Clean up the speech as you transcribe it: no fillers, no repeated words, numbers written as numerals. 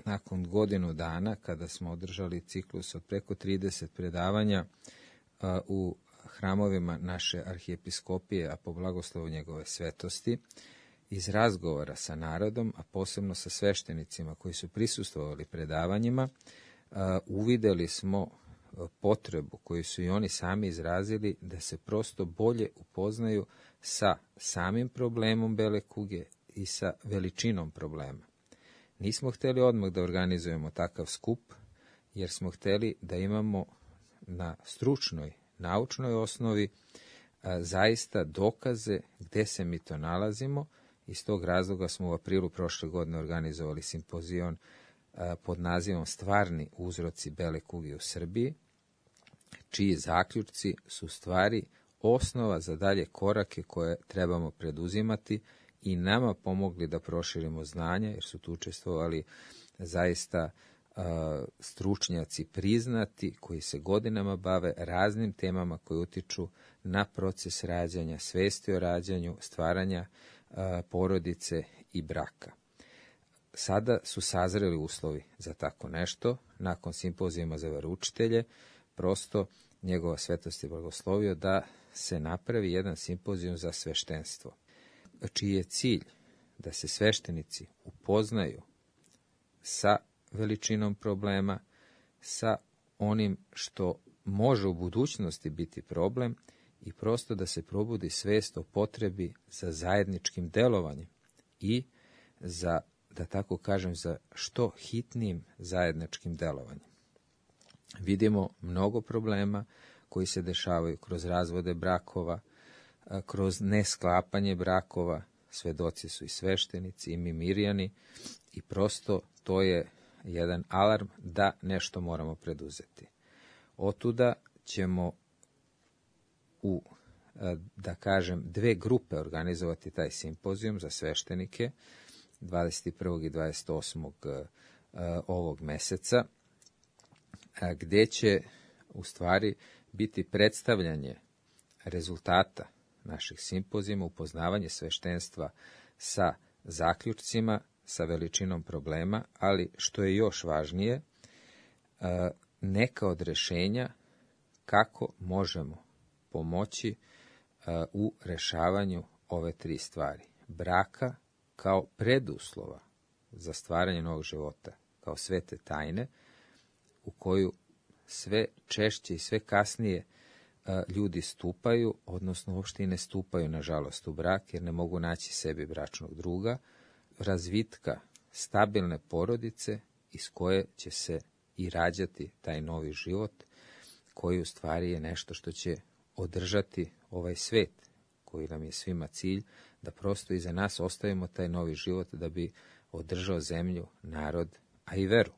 nakon godinu dana, kada smo održali ciklus od preko 30 predavanja u hramovima naše arhijepiskopije, a po blagoslovu njegove svetosti, iz razgovora sa narodom, a posebno sa sveštenicima koji su prisustvovali predavanjima, uvideli smo potrebu koju su i oni sami izrazili da se prosto bolje upoznaju sa samim problemom bele kuge i sa veličinom problema. Nismo hteli odmah da organizujemo takav skup, jer smo hteli da imamo na stručnoj, naučnoj osnovi zaista dokaze gde se mi to nalazimo. Iz tog razloga smo u aprilu prošle godine organizovali simpozion pod nazivom Stvarni uzroci bele kuge u Srbiji, čiji zaključci su stvari osnova za dalje korake koje trebamo preduzimati i nama pomogli da proširimo znanja, jer su tu učestvovali zaista stručnjaci priznati koji se godinama bave raznim temama koje utiču na proces rađanja, svesti o rađanju, stvaranja porodice i braka. Sada su sazreli uslovi za tako nešto. Nakon simpozijuma za veroučitelje, prosto njegova svetost je blagoslovio da se napravi jedan simpozijum za sveštenstvo, čiji je cilj da se sveštenici upoznaju sa veličinom problema, sa onim što može u budućnosti biti problem i prosto da se probudi svest o potrebi za zajedničkim delovanjem i za, da tako kažem, za što hitnijim zajedničkim delovanjem. Vidimo mnogo problema koji se dešavaju kroz razvode brakova, kroz nesklapanje brakova, svedoci su i sveštenici i mi mirjani i prosto to je jedan alarm da nešto moramo preduzeti. Otuda ćemo u, da kažem, dve grupe organizovati taj simpozijum za sveštenike 21. i 28. ovog meseca, gde će u stvari biti predstavljanje rezultata naših simpozijuma, upoznavanje sveštenstva sa zaključcima, sa veličinom problema, ali što je još važnije, neka od rešenja kako možemo pomoći u rešavanju ove tri stvari. Braka kao preduslova za stvaranje novog života, kao svete tajne, u koju sve češće i sve kasnije ljudi stupaju, odnosno uopšte i ne stupaju, nažalost, u brak, jer ne mogu naći sebi bračnog druga, razvitka stabilne porodice iz koje će se i rađati taj novi život, koji u stvari je nešto što će održati ovaj svet, koji nam je svima cilj, da prosto iza nas ostavimo taj novi život da bi održao zemlju, narod, a i veru.